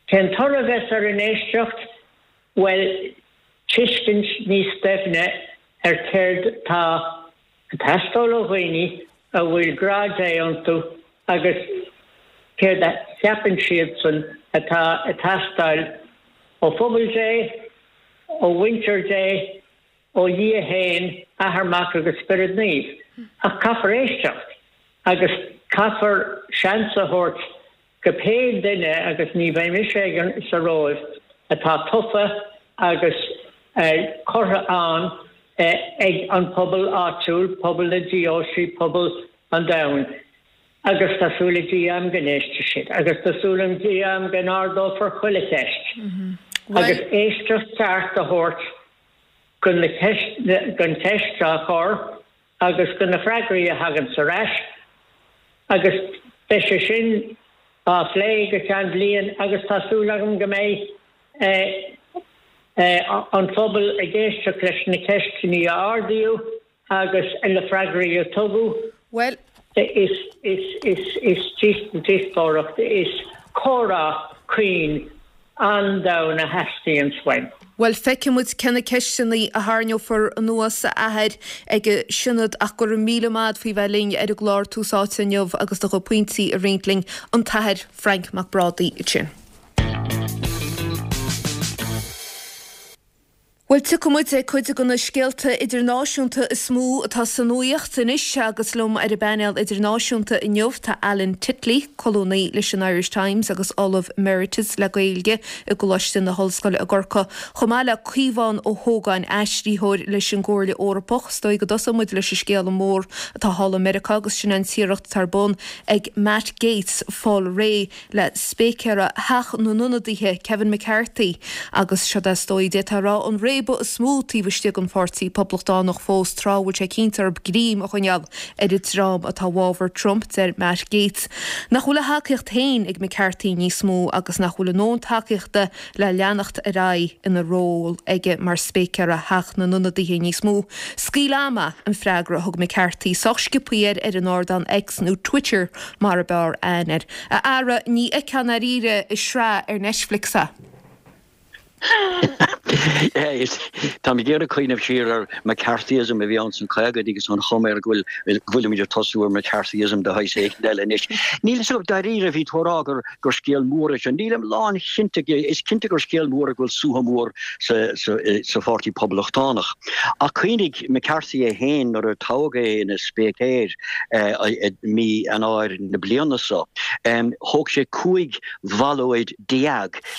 Cén toradh a bheas ar an éisteacht? Bhuel, tuiscint níos doimhne ar céard tá ag teastáil ó dhaoine a bhfuil grá Dé iontu agus céard a cheapann siadsan atá ag teastáil ó phobal Dé, ó mhuintir Dé, ó Dhia féin, Athair, Mac agus Spiorad Naomh. Ach caithfear éisteacht agus caithfear seans a thabhairt go pé duine, agus ní bheidh mise ag sa Róimh, atá tofa agus curtha ann ag an pobal áitiúil, pobal na deoisí, pobal an domhain. Agus tá súil ag Dia agam go n-éistfidh siad. Agus tá súil ag Dia agam go n-ardófar chuile cheist. Agus éisteacht cheart a thabhairt don cheist á chur agus do na freagraí a thaganns ar ais agus beidh sé sin á phlé go ceann bliain agus tá súil agam go mbeidh an phobal ag éisteacht leis na ceisteanna a ardaíodh agus na freagraí a tugadh. Bhuel. Is díospóireacht, is comhrá caoin an-domhain a theastaíonns uainn. Bhuel, feicfidh muid cé na ceisteanna a tharraingeofar anuas, a Athair, ag an Sionad ach go raibh míle maith a'd faoi bheith linn ar an gclár Tús Áite inniu agus do chuid pointí a roinnt linn, an tAthair Frainc Mac Brádaigh ansin. Bhuel, tiocfaidh muid ag cuid de na scéalta idirnáisiúnta is mó atá sa nuaíocht anois agus liom ar an bpainéal idirnáisiúnta inniu tá Alan Titley, colúnaí leis an Irish Times agus Ollamh Emeritus le Gaeilge i gColáiste na hOllscoile i gCorcaigh, chomh maith le Caomhán Ó hÓgáin, aistritheoir leis an gComhairle Eorpach. Is dóigh go dtosóidh muid leis an scéal mór atá thall i Meiriceá agus sin an t-iarracht atá ar bun ag Matt Gaetz fáil réidh le Spéicéara Theach na nIonadaithe, Kevin McCarthy, agus seod é is dóigh, d'fhéadfá a rá, an réabadh is mó taobh istigh den Pháirtí Poblachtánach fós, tráth a bhfuil sé cinnte orthu greim a choinneáil ar an dream atá i bhfabhar Trump. Deir Matt Gaetz nach bhfuil a thacaíocht féin ag McCarthy níos mó agus nach bhfuil a ndóthain tacaíochta le leanacht ar aghaidh ina ról aige mar Spéicéara Theach na nIonadaithe níos mó. Scaoil am é an freagra a thug McCarthy sách sciobtha air ar an ardán X nó Twitter mar ab fhearr aithne air. A fheara, ní fheicfeá i ndáiríre i sraith ar Netflix é. Táim ag iarraidh cuimhneamh siar ar McCarthyism a bhí ann sna caogaidí agus an chuma air go bhfuil go bhfuilimid ag tosú ar McCarthyism de shaghas éigin eile anois. Níl fhios agam dáiríre, bhí tú ag rá gur gur scéal mór é seo. Nílim lánchinnte, is cinnte gur scéal mór é go bhfuil suaitheadh mór sa sa sa Pháirtí Poblachtánach. Ach cuimhnigh, McCarthy é féin nuair a toghadh é ina spéicéir, i mí Eanáir na bliana seo. Thóg sé 15 bhallóid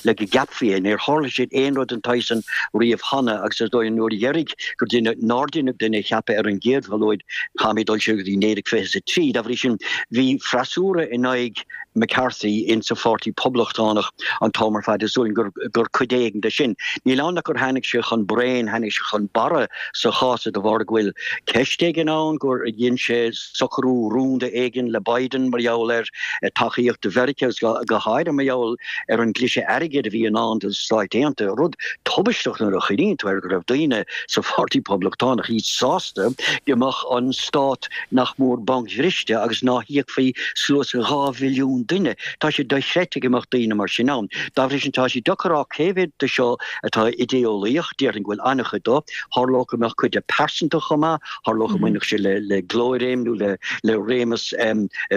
le go gceapfaí é. Níor tharla sé aon rud den tsaghas san riamh cheana agus is dóigh an uair dheiridh gur deineadh, nár deineadh duine a cheapadh ar an gcéad bhallóid, caithfimid dul siar go dtí 1923. Dá bhrí sin, bhí freasúra in aghaidh McCarthy insa Pháirtí Poblachtánach an t-am ar fad. Is dóigh gur gur cuid éigin de sin. Níl ann ach gur tháinig sé chun braon, tháinig sé chun barra sa chás de bharr go bhfuil ceist éigin ann gur dhein sé socrú rúnda éigin le Biden mar gheall ar tacaíocht do Mheiriceá agus go háirithe mar gheall ar an gcliseadh airgid a bhí i ndán do na Stáit Aontaithe, rud tubaisteach nuair a chuimhníonn tú air go raibh daoine sa Pháirtí Poblachtánach iad sásta go mbeadh an stát nach mór bancbhriste agus ná híocfaí suas le 2 mhilliún duine. Tá sé dochreidte go mbeadh daoine mar sin ann. Dá bhrí sin tá sé deacair a rá cé mhéad de seo atá idé-eolaíoch, déarfainn go bhfuil an-chuid dó. Tharlódh go mbeadh cuid de pearsanta chomh maith, tharlódh go mbainfeadh sé le glóir-réim nó le réimeas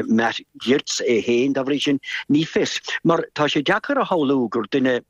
Matt Gaetz é féin, dá bhrí sin, ní fios. Mar tá sé deacair a shamhlú gur duine.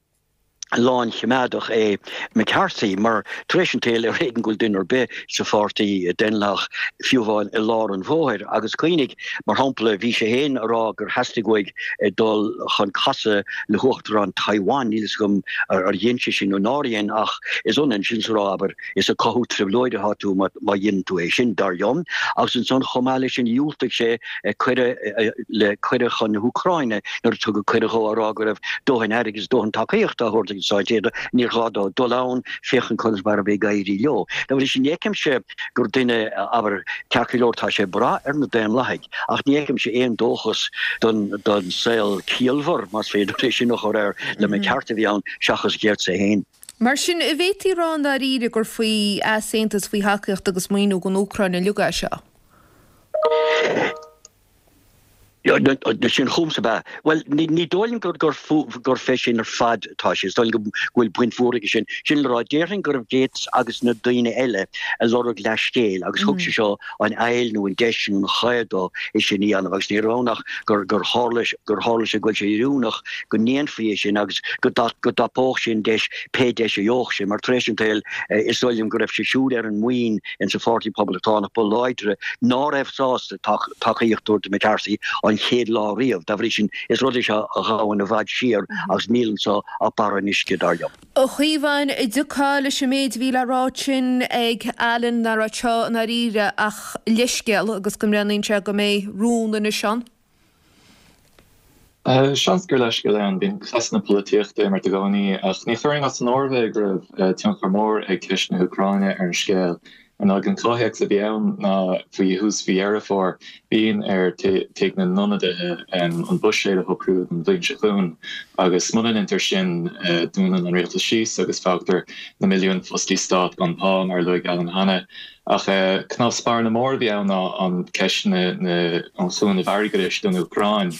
Lánchoimeádach é McCarthy mar, tar éis an tsaoil, ar éigean go bhfuil duine ar bith sa pháirtí Daonlathach, fiú amháin i lár an bhóthair. Agus cuimhnigh, mar shampla, bhí sé féin ag rá gur theastaigh uaidh dul chun casadh le huachtarán Taiwan, níl fhios agam ar dhein sé sin nó nár dhein, ach is ionann sin is a rá, abair, is ag cothú trioblóide atá tú má dheineann tú é sin, dar liom. Agus ansan, chomh maith leis sin, dhiúltaigh sé cuireadh le cuireadh chun na hÚcráine nuair a tugadh cuireadh dhó á rá go raibh dóthain airgid is dóthain tacaíochta á thabhairt ag na Stáit Aontaithe, níor ghá dó dul ann féachaint conas mar a bhí ag éirí leo. Dá bhrí sin, ní fheicimse gur duine, abair, ceart go leor tá sé ag brath ar na Daonlathaigh ach ní fheicimse aon dóchas don don saol ciallmhar, más féidir é sin a chur air, le McCarthy a bhí ann seachas Gates é féin. Mar sin, an bhféadfaí a rá i ndáiríre gur faoi easaontas faoi thacaíocht agus maoiniú don Úcráin uilig é seo? Sin chugamsa ab ea? Bhuel, ní dóigh liom gur fé sin ar fad atá sé. Is dóigh liom go bhfuil baint mhór aige sin. Sin le rá, déarfainn go raibh Gates agus na daoine eile ag lorg leathscéil agus thug sé seo an fhaill nó an deis nó an chaoi dó é sin a dhéanamh agus ní raibh ann ach gur tharla gur tharla sé go bhfuil sé oiriúnach go ndéanfaí é sin agus go dtapódh sé an deis pé deis a gheobhadh sé mar tar éis an tsaoil is dóigh liom go raibh sé siúd ar an mbuíon in sa Pháirtí Poblachtánach ba láidre ná raibh sásta tacaíocht a thabhairt do McCarthy an chéad lá riamh. Dá bhrí sin, is rud é seo a ghabhann i bhfad siar agus níl anso ach barra an uisce, dar liom. A Chaomháin, an dtiocfá leis an méid a bhí le rá ansin ag Alan nach raibh anseo i ndáiríre ach leithscéal agus go mbreathnaíonn sé go mbeidh rún anois ann? Seans gur leithscéal é ann. Bíonn cleasanna polaitíochta ag imirt i gcónaí, ach ní chuirfinn as an áireamh é go raibh tionchar mór ag ceist na hÚcráine ar an scéal. Ar ndóigh, an comhthéacs a bhí ann ná faoi thús mhí Dheireadh Fómhair, bíonn ar Tigh na nIonadaithe an buiséad a shocrú don bhliain seo chugainn, agus muna ndeintear sin, dúnann an rialtas síos agus fágtar na milliúin fostaí stáit gan pá, mar a luaigh Alan cheana. Ach cnámh spairne mór a bhí ann ná an ceist na an chúnamh airgeadais don Úcráin.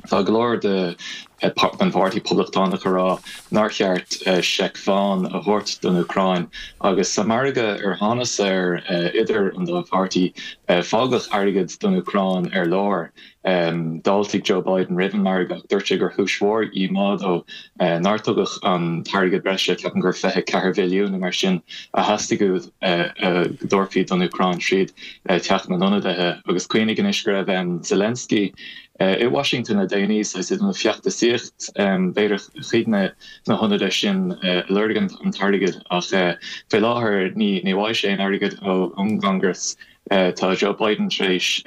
Tá go leor de den Pháirtí Poblachtánach ag rá nár cheart seic bhán a thabhairt don Úcráin agus sa margadh ar thánas air idir an dá pháirtí, fágadh airgead don Úcráin ar lár. D'fháiltigh Joe Biden roimh an margadh ach dúirt sé gur chúis mhór dhíomá dó nár tugadh an t-airgead breise, ceapaim gur 24 bhilliún nó mar sin, a theastaigh uaidh go dtabharfaí don Úcráin tríd Teach na nIonadaithe. Agus cuimhnigh anois go raibh Zelensky i Washington le déanaí, saghas ag déanamh feachtasaíocht, b'fhéidir chuig na hionadaithe sin ag lorg an t-airgead ach faoi láthair ní bhfaighidh sé aon airgead ón gCongress. Tá Joe Biden tar éis.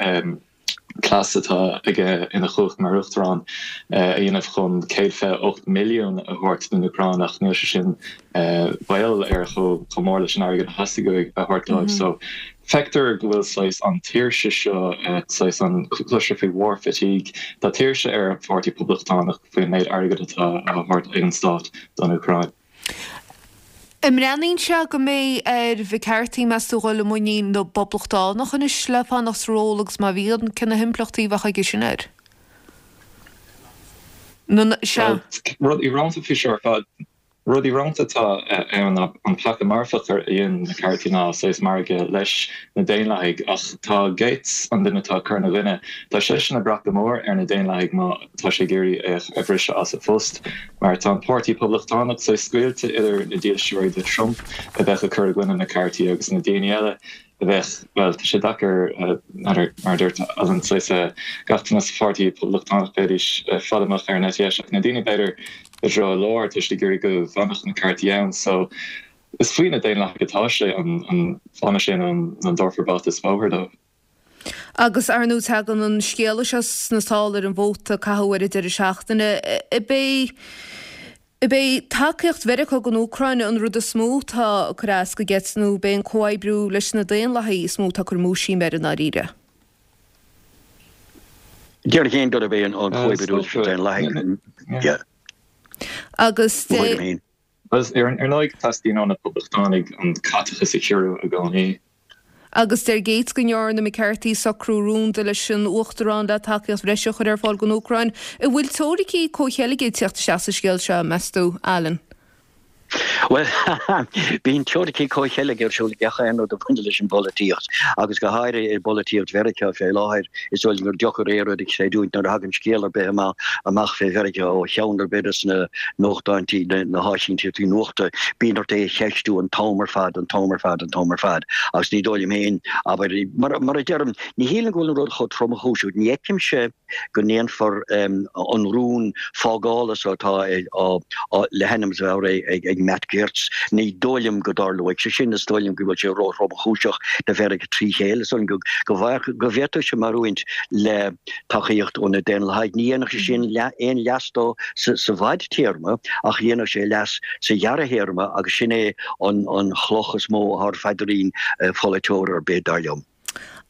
cleas atá aige ina chumhacht mar Uachtarán a dhéanamh chun 128 milliún a thabhairt don Úcráin ach níl sé sin baol air chomh mór leis an airgead a theastaigh uaidh a thabhairt dóibh. So feictear go bhfuil saghas an tuirse seo, saghas an cloistear faoi war fatigue, tá tuirse ar an Pháirtí Poblachtánach faoin méid airgid atá á thabhairt ag an stát don Úcráin. An mbreathnaíonn sé go mbeidh ar McCarthy, meas tú, dhul i muinín na bPoblachtánach anois le fanacht sa ról agus má bhíonn, cé na himpleachtaí a bheadh aige sin air? Sea. Rud íorónta faoi seo ar fad, rud íorónta atá ann ná an peaca marfach a dhein McCarthy ná saghas margadh leis na Daonlathaigh ach tá Gaetz, an duine atá ag cur ina gcoinne, tá seisean ag brath go mór ar na Daonlathaigh má tá sé ag iarraidh é a bhriseadh as a phost. Mar tá an Páirtí Poblachtánach saghas scoilte idir na dílseoirí do Trump a bheadh ag cur i gcoinne McCarthy agus na daoine eile a bheadh, bhuel, tá sé deacair, mar a dúirt Alan, saghas gach duine sa Pháirtí Poblachtánach bheidís fada amach ar an eite dheis ach na daoine b'fhéidir i dtreo an láir tá siad ag iarraidh go bhfanfadh McCarthy ann. So is faoi na Daonlathaigh atá sé an bhfanfaidh sé nó an dtabharfar bata is bóthar dó. Agus, ar ndóigh, tagann an scéala seo sna sála ar an vóta a caitheadh ar an deireadh seachtaine. Ab é ab é tacaíocht Mheiriceá don Úcráin an rud is mó atá ag cur as do Gaetz nó ab é an comhoibriú leis na Daonlathaigh is mó atá ag cur múisiam air i ndáiríre? Déarfainn gurb é an comhoibriú leis na Daonlathaigh. Agus de. Ar ndóigh, teastaíonn ó na Poblachtánaigh an caiteachas a chiorrú i gcónaí. Agus deir Gaetz go ndearna McCarthy socrú rúnda leis an Uachtarán le tacaíocht bhreise a chur ar fáil don Úcráin. An bhfuil teoiricí comhcheilge ag teacht isteach sa scéal seo, meas tú, Alan? Bhuel, bíonn teoiricí comhcheilge ar siúl ag gach aon rud a bhaineann leis an bpolaitíocht, agus go háirithe i bpolaitíocht Mheiriceá fé láthair. Is dóigh liom gur deocair aon rud a chreidiúint nuair a thagann scéal ar bith amach fé Mheiriceá ó cheann ar bith de na nuachtáintí, na háisínteachtaí nuachta, bíonn ort é a cheistiú an t-am ar fad, an t-am ar fad, an t-am ar fad. Agus ní dóigh liom féin, abair, mar a deirim, ní shílim go bhfuil an rud chomh tromchúiseach. Ní fheicimse. go ndéanfar an rún fágála so atá le hainm is a bheith á rith ag Matt Gaetz, ní dóigh liom go dtarlóidh sé sin. Is dóigh liom go bhfuil sé ró-thromchúiseach do Mheiriceá trí chéile. Is dóigh liom go bhféadfadh sé maireachaint le tacaíocht ó na Daonlathaigh. Ní dhéanfadh sé sin aon leas dó sa bhfadtéarma ach dhéanfadh sé leas sa ghearrthéarma agus sin é an chloch is mó atá ar phaidrín pholaiteora ar bith, dar liom.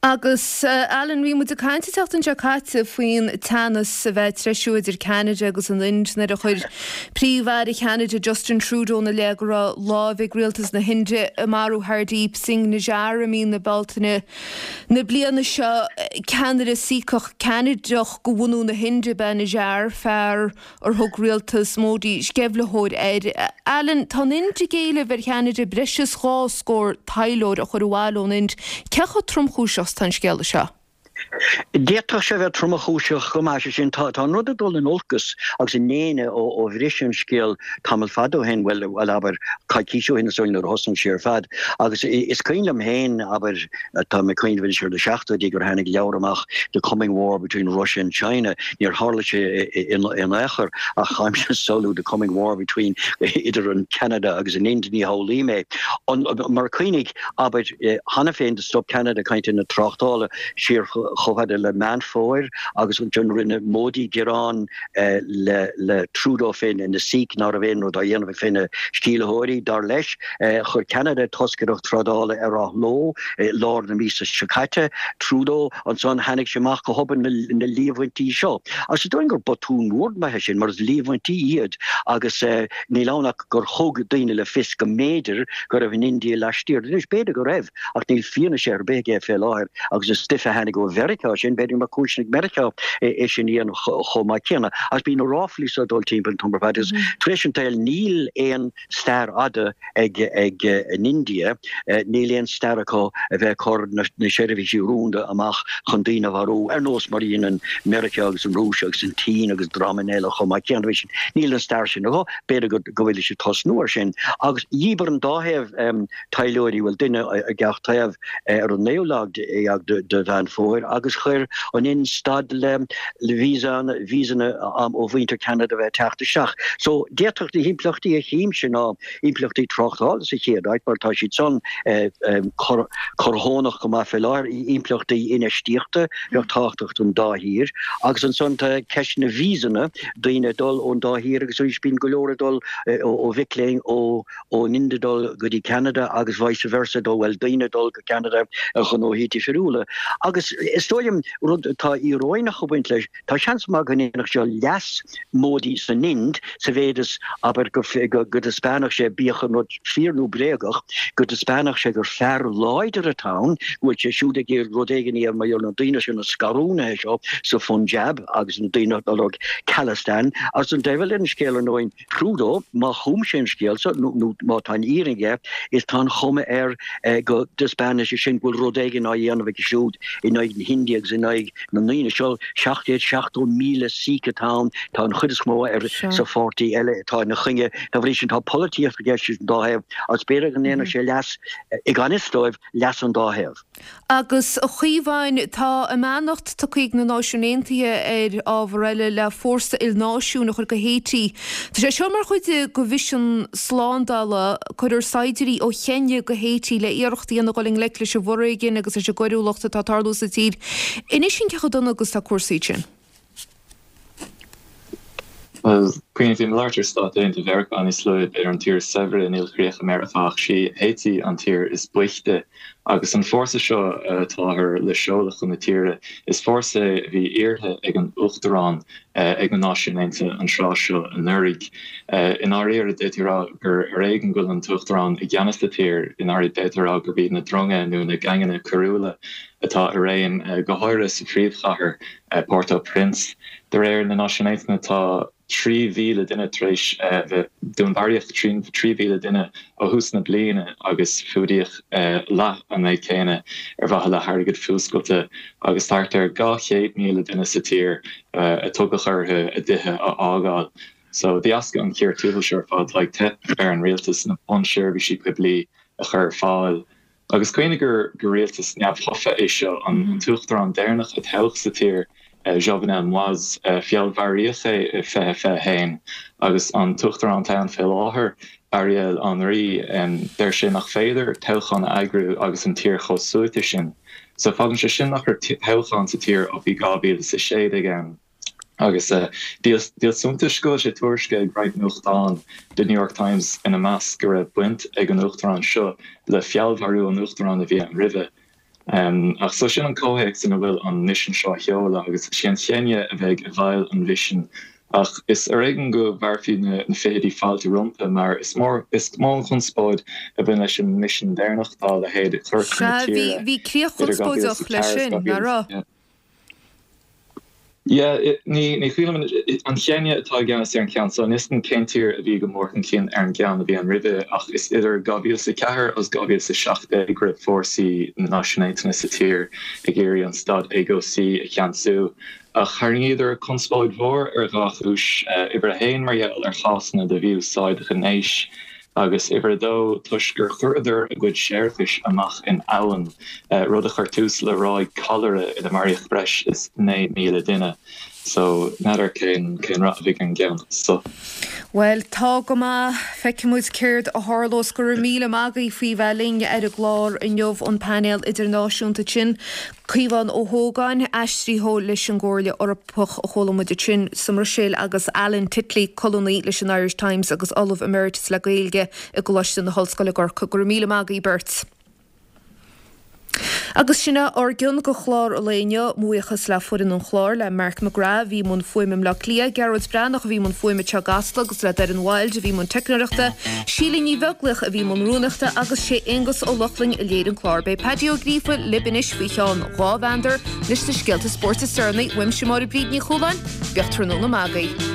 Agus, Alan, bhí muid ag caint an tseachtain seo caite faoin teannas a bheith ag treisiú idir Ceanada agus an Ind nuair a chuir Príomh-Aire Cheanada Justin Trudeau ina leith go raibh lámh ag rialtas na hInde i marú Hardeep Singh Nijjar i mí na Bealtaine na bliana seo. Ceannaire Sikhach Ceanadach de bhunú na hInde ab ea Nijjar, fear ar thug rialtas Modi sceimhlitheoir air. Alan, tá an Ind ag éileamh ar Cheanada breis is 2 scór taidhleoir a chur abhaile ón Ind. Cé chomh tromchúiseach is atá an scéala seo? D'fhéadfadh sé a bheith tromchúiseach go maith, sé sin, tá an rud ag dul in olcas agus i ndéine ó bhris an scéal tamall fada ó shin, bhuel, abair, coicís ó shin is dóigh nuair a thosnaigh sé ar fad. Agus is cuimhin liom féin, abair, Tá mé ag cuimhneamh anois ar na seachtóidí gur tháinig leabhar amach The Coming War Between Russia and China. Níor tharla sé in aon chor ach táimse ag samhlú The Coming War Between idir an Ceanada agus an Ind, ní shamhlaím é. Mar cuimhnigh, abair, cheana féin do stop Ceanada cainteanna tráchtála siar chomh fada le Meán Fómhair agus ansin rinne Modi gearán le Trudeau fé na Sikh ná raibh aon rud á dhéanamh fé na sceimhlitheoirí, dar leis. Chuir Ceanada toscaireacht trádála ar athló i lár na míosa seo caite. Trudeau, ansan tháinig sé amach go hobann na líomhaintí seo. Agus is dóigh gur botún mór maith é sin mar is líomhaintí iad agus níl ann ach gur thug daoine le fios go mb'fhéidir go raibh an India laistiar. Anois b'fhéidir go raibh ach níl fianaise ar bith aige fé láthair agus is stuif a tháinig ó Mheiriceá sin, b'fhéidir go mbeadh cúiseanna ag Meiriceá é sin a dhéanamh chomh maith céanna. Agus bíonn na ráflaí seo ag dul timpeall an t-am ar fad agus tar éis an tsaoil níl aon stair fhada ag an India, níl aon stair acu a bheith ag cur na seirbhísí rúnda amach chun daoine a mharú, ar nós mar a dhéanann Meiriceá agus an Rúis agus an tSín agus dreamanna eile chomh maith céanna. Níl an stair sin acu, b'fhéidir go bhfuil siad ag tosnú ar sin. Agus dhíbir an dá thaobh taidhleoirí, bhuel duine ag gach taobh, ar an naoú lá déag de Mheán Fómhair agus chuir an Ind stad le víosanna ó mhuintir Cheanada a bheith ag teacht isteach. So d'fhéadfadh na himpleachtaí a chímse ná impleachtaí tráchtála sa chéad áit mar tá siad san corrthónach go maith fé láthair, impleachtaí infheistíochta bheadh tábhachtach don dá thír agus ansan tá ceist na víosanna, daoine ag dul ón dá thír agus arís bíonn go leor ag dul ó mhic léinn ó ón Ind ag dul go dtí Ceanada agus vice versa dó, bhuel, daoine ag dul go Ceanada ar ghnóthaí difriúla. Agus is dóigh liom, rud atá íoróineach ag baint leis, tá seans maith go ndéanfadh seo leas Modi san Ind sa mhéid is, abair, go dtaispeánfadh sé, bíodh an rud fíor nó bréagach, go dtaispeánfadh sé gur fear láidir atá ann, go bhfuil sé siúd ag iarraidh rud éigin a dhéanamh mar gheall ar na daoine seo, na scarúnaithe seo sa Phunjab agus na daoine atá ag lorg Khalistan. Agus an diabhal ar an scéal, ar ndóigh, Trudeau, má chum sé an scéal seo, nó má tá an fhírinne aige, is tá an chuma air go dtaispeánann sé sin go bhfuil rud éigin á dhéanamh aige siúd in aghaidh na hIndia agus in aghaidh na ndaoine seo. 770,000 Sikh atá ann, tá an chuid is mó ar sa pháirtí eile atá ina choinne. Dá bhrí sin tá polaitíocht i gceist an dá thaobh agus b'fhéidir go ndéanfadh sé leas, i gan fhios dóibh, leas an dá thaobh. Agus, a Chaomháin, tá a mbeannacht tugtha ag na Náisiúin Aontaithe ar ábhar eile le fórsa ilnáisiúin a chur go Haiti. Tá sé seo mar chuid de mhisean slándála. Cuirfear saighdiúirí ó Cheiniá go Haiti le iarracht a dhéanamh dul i ngleic leis an bhforéigean agus leis an gcoiriúlacht atá ag tarlú sa tír. Inis dúinn cé chomh dona agus atá cúrsaí ansin. Bhuel, cuimhnigh, bhí mé ag labhairt ar Stáit Aontaithe Mheiriceá níos luaithe, b'fhéidir an tír is saibhre in ilchríocha Meiriceá ach sí Háití an tír is boichte. Agus an fórsa seo atáthar le seoladh chun na tíre, is fórsa é a bhí iarrtha ag an Uachtarán ag na Náisiúin Aontaithe an tráth seo anuraidh. I ndáiríre, d'fhéadfaí a rá gur ar éigean go bhfuil an tUachtarán i gceannas sa tír, i ndáiríre d'fhéadfaí a rá gurb iad na dronga nó na geaingeanna coiriúla atá i réim, go háirithe sa phríomhchathair, Port-au-Prince. De réir na Náisiún Aontaithe, tá. 3,000 duine tar éis bheith, dúnmharaíodh 3,000 duine ó thús na bliana agus fuadaíodh leath an méid céanna ar mhaithe le hairgead fuascailte agus thart ar 200,000 duine sa tír a tugadh orthu a dtithe a fhágáil. So, de dheasca an chíor tuathail seo ar fad, tá ag teip ar an rialtas na bunseirbhísí poiblí a chur ar fáil. Agus cuimhnigh gur rialtas neamhthofa é seo. An t-uachtarán deireanach a toghadh sa tír, Jovenel Moise, feallmharaíodh é i 2021 agus an t-uachtarán atá ann fé láthair, Ariel Henry, deir sé nach féidir toghchán a eagrú agus an tír chomh suaite sin. So fágann sé sin nach raibh toghchán sa tír ó bhí 2016 ann. Agus díol suntais go bhfuil sé tuairiscithe ag roinnt nuachtán, The New York Times ina measc, go raibh baint ag an uachtarán seo le feallmharú an uachtaráin a bhí ann roimhe. Ach so sin an comhthéacs ina bhfuil an misean seo á sheoladh agus is í an Chéinia a bheidh i bhfeighil an mhisin. Ach is ar éigean go bhfearfaí na fichidí fáilte rompu mar is mór is mó an chonspóid a bhain leis an misean deireanach dá leithéid a chur chun na Sea, tíre bhí críoch idir chonspóideach 2004 leis agus sin, nach raibh? 2000. Yeah, ní chuimhin liom, an Chéinia atá i gceannas ar an cheann so, níl 'fhios a'm cén tír a bhí go mór chun cinn ar an gceann a bhí ann roimhe, ach is idir 2004 agus 2017 go raibh fórsaí na Náisiún Aontaithe sa tír ag iarraidh an staid éagobhsaí a cheansú. Ach tharraingíodar conspóid mhór ar dhá chúis, uimhir a haon mar gheall ar chásanna de mhí-úsáid ghnéis, Agus uimhir a dó, toisc gur chuireadar a gcuid séarachais amach in abhainn, rud a chuir tús le ráig cholera ina maraíodh breis is 9,000 duine. So, n'fheadar cén cén rath a bheidh ar an gceann so. Bhuel, tá go maith. Feicfidh muid céard a tharlós. Go raibh míle maith agaibh faoi bheith linn ar an gclár inniu, an painéal idirnáisiúnta sin. Caomhán Ó hÓgáin, aistritheoir leis an gComhairle Eorpach a chuala muid ansin sa mBruiséil agus Alan Titley, colúnaí leis an Irish Times agus Ollamh Emeritus le Gaeilge i gColáiste na hOllscoile i gCorcaigh. Go raibh míle maith agaibh beirt. Agus sin é ár gcion de chlár an lae inniu. Mo bhuíochas le foireann an chláir, le Mark McGrath a bhí i mbun fuaime i mBleá Cliath, Gearóid Breathnach a bhí i mbun fuaime anseo i gCasla agus le Doireann Wilde a bhí i mbun teicneoireachta, Síle Ní Bheaglaoich a bhí i mbun rúnaíochta agus sé Aonghus Ó Lochlainn a léirigh an clár. Beidh Paddy Ó Gríofa libh anois faoi cheann 2 mheandar leis na scéalta spóirt is deireanaí. Uaimse Máire Bríd Ní Chualáin, bíodh tráthnóna maith agaibh.